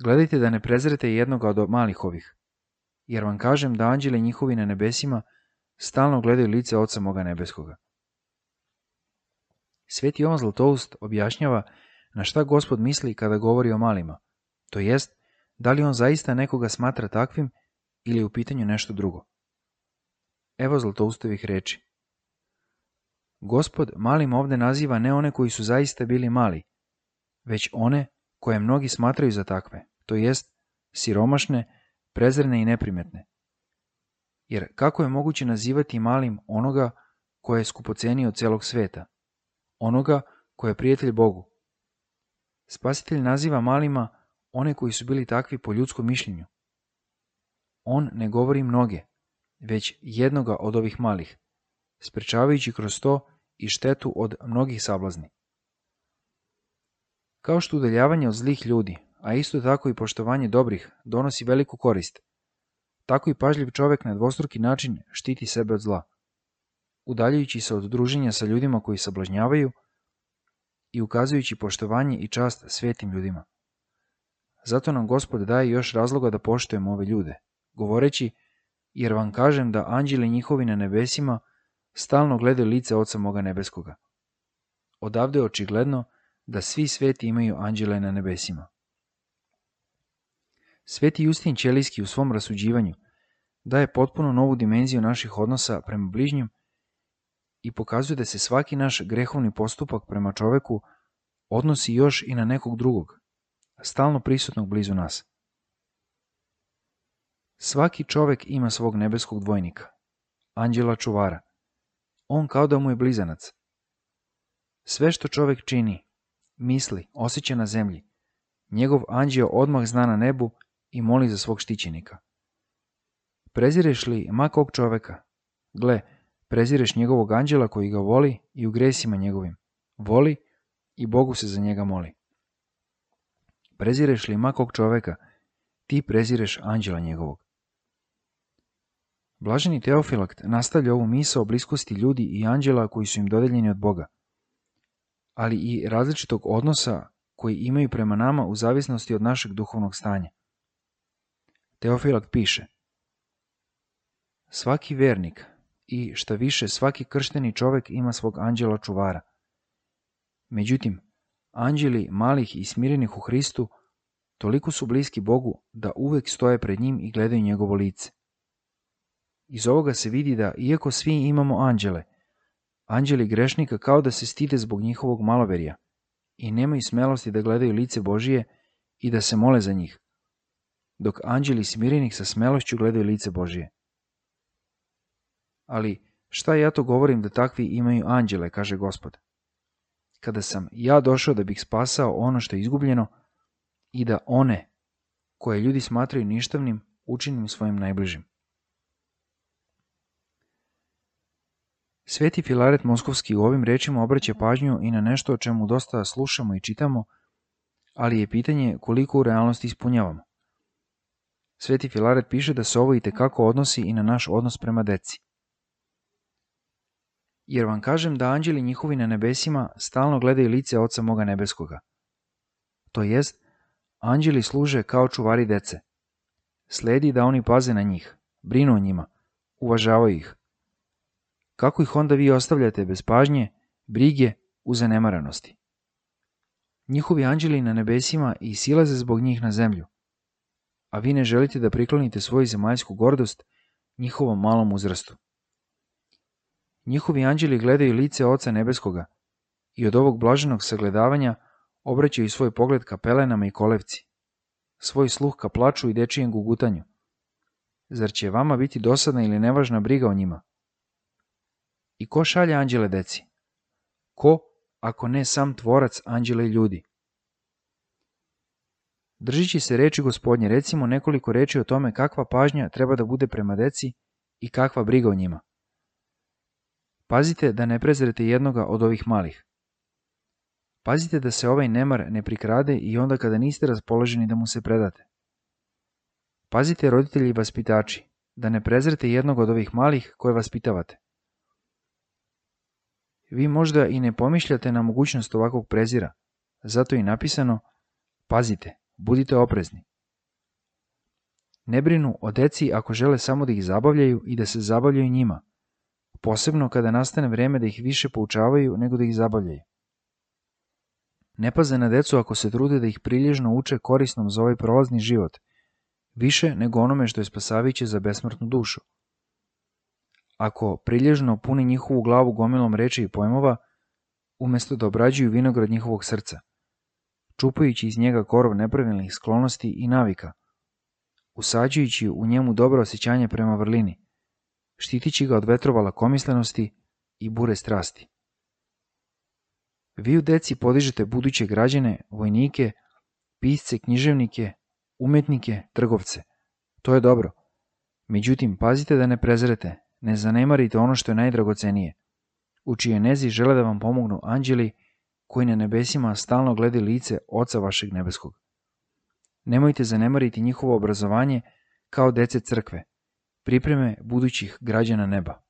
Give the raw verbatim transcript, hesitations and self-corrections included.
Gledajte da ne prezrete jednoga od malih ovih, jer vam kažem da anđeli njihovi na nebesima stalno gledaju lice Oca moga nebeskoga. Sveti Jovan Zlatoust objašnjava na šta Gospod misli kada govori o malima, to jest, da li on zaista nekoga smatra takvim ili je u pitanju nešto drugo. Evo Zlatoustovih reči. Gospod malim ovde naziva ne one koji su zaista bili mali, već one koje mnogi smatraju za takve, to jest siromašne, prezrene i neprimetne. Jer kako je moguće nazivati malim onoga koje je skupocenio od celog sveta, onoga koje je prijatelj Bogu? Spasitelj naziva malima one koji su bili takvi po ljudskom mišljenju. On ne govori mnoge, već jednoga od ovih malih, sprečavajući kroz to i štetu od mnogih sablazni. Kao što udaljavanje od zlih ljudi, a isto tako i poštovanje dobrih, donosi veliku korist, tako i pažljiv čovek na dvostruki način štiti sebe od zla, udaljajući se od druženja sa ljudima koji sablažnjavaju i ukazujući poštovanje i čast svetim ljudima. Zato nam Gospod daje još razloga da poštujemo ove ljude, govoreći, jer vam kažem da anđeli njihovi na nebesima stalno gledaju lice Oca moga nebeskoga. Odavde je očigledno da svi sveti imaju anđele na nebesima. Sveti Justin Ćelijski u svom rasuđivanju daje potpuno novu dimenziju naših odnosa prema bližnjim i pokazuje da se svaki naš grehovni postupak prema čoveku odnosi još i na nekog drugog, stalno prisutnog blizu nas. Svaki čovek ima svog nebeskog dvojnika, anđela čuvara. On kao da mu je blizanac. Sve što čovek čini, misli, osjeća na zemlji, njegov anđeo odmah zna na nebu i moli za svog štićenika. Prezireš li ma kog čoveka? Gle, prezireš njegovog anđela koji ga voli i u gresima njegovim. Voli i Bogu se za njega moli. Prezireš li ma kog čoveka? Ti prezireš anđela njegovog. Blaženi Teofilakt nastavlja ovu misao o bliskosti ljudi i anđela koji su im dodeljeni od Boga, ali i različitog odnosa koji imaju prema nama u zavisnosti od našeg duhovnog stanja. Teofilakt piše: svaki vernik i šta više svaki kršteni čovek ima svog anđela čuvara. Međutim, anđeli malih i smirenih u Hristu toliko su bliski Bogu da uvek stoje pred njim i gledaju njegovo lice. Iz ovoga se vidi da, iako svi imamo anđele, anđeli grešnika kao da se stide zbog njihovog maloverja i nemaju smelosti da gledaju lice Božije i da se mole za njih, dok anđeli smirenih sa smelošću gledaju lice Božije. Ali šta ja to govorim da takvi imaju anđele, kaže Gospod, kada sam ja došao da bih spasao ono što je izgubljeno i da one, koje ljudi smatraju ništavnim, učinim svojim najbližim. Sveti Filaret Moskovski u ovim rečima obraća pažnju i na nešto o čemu dosta slušamo i čitamo, ali je pitanje koliko u realnosti ispunjavamo. Sveti Filaret piše da se ovo i tekako odnosi i na naš odnos prema deci. Jer vam kažem da anđeli njihovi na nebesima stalno gledaju lice Oca moga nebeskoga. To jest, anđeli služe kao čuvari dece. Sledi da oni paze na njih, brinu o njima, uvažavaju ih. Kako ih onda vi ostavljate bez pažnje, brige, u zanemaranosti? Njihovi anđeli na nebesima i silaze zbog njih na zemlju, a vi ne želite da priklonite svoju zemaljsku gordost njihovom malom uzrastu. Njihovi anđeli gledaju lice Oca nebeskoga i od ovog blaženog sagledavanja obraćaju svoj pogled ka pelenama i kolevci, svoj sluh ka plaču i dečijem gugutanju. Zar će vama biti dosadna ili nevažna briga o njima? I ko šalje anđele deci? Ko, ako ne sam tvorac anđela i ljudi? Držići se reči Gospodnje, recimo nekoliko reči o tome kakva pažnja treba da bude prema deci i kakva briga o njima. Pazite da ne prezrete jednoga od ovih malih. Pazite da se ovaj nemar ne prikrade i onda kada niste raspoloženi da mu se predate. Pazite, roditelji i vaspitači, da ne prezrete jednog od ovih malih koje vaspitavate. Vi možda i ne pomišljate na mogućnost ovakvog prezira, zato je i napisano: pazite, budite oprezni. Ne brinu o deci ako žele samo da ih zabavljaju i da se zabavljaju njima, posebno kada nastane vreme da ih više poučavaju nego da ih zabavljaju. Ne paze na decu ako se trude da ih prilježno uče korisnom za ovaj prolazni život, više nego onome što je spasavajuće za besmrtnu dušu. Ako prilježno puni njihovu glavu gomilom reči i pojmova, umesto da obrađuju vinograd njihovog srca, čupajući iz njega korov nepravilnih sklonosti i navika, usađujući u njemu dobro osjećanje prema vrlini, štitići ga od vetrova lakomislenosti i bure strasti. Vi u deci podižete buduće građane, vojnike, pisce, književnike, umetnike, trgovce. To je dobro. Međutim, pazite da ne prezrete, ne zanemarite ono što je najdragocenije, u čije nezi žele da vam pomognu anđeli koji na nebesima stalno gledaju lice Oca vašeg nebeskog. Nemojte zanemariti njihovo obrazovanje kao dece crkve, pripreme budućih građana neba.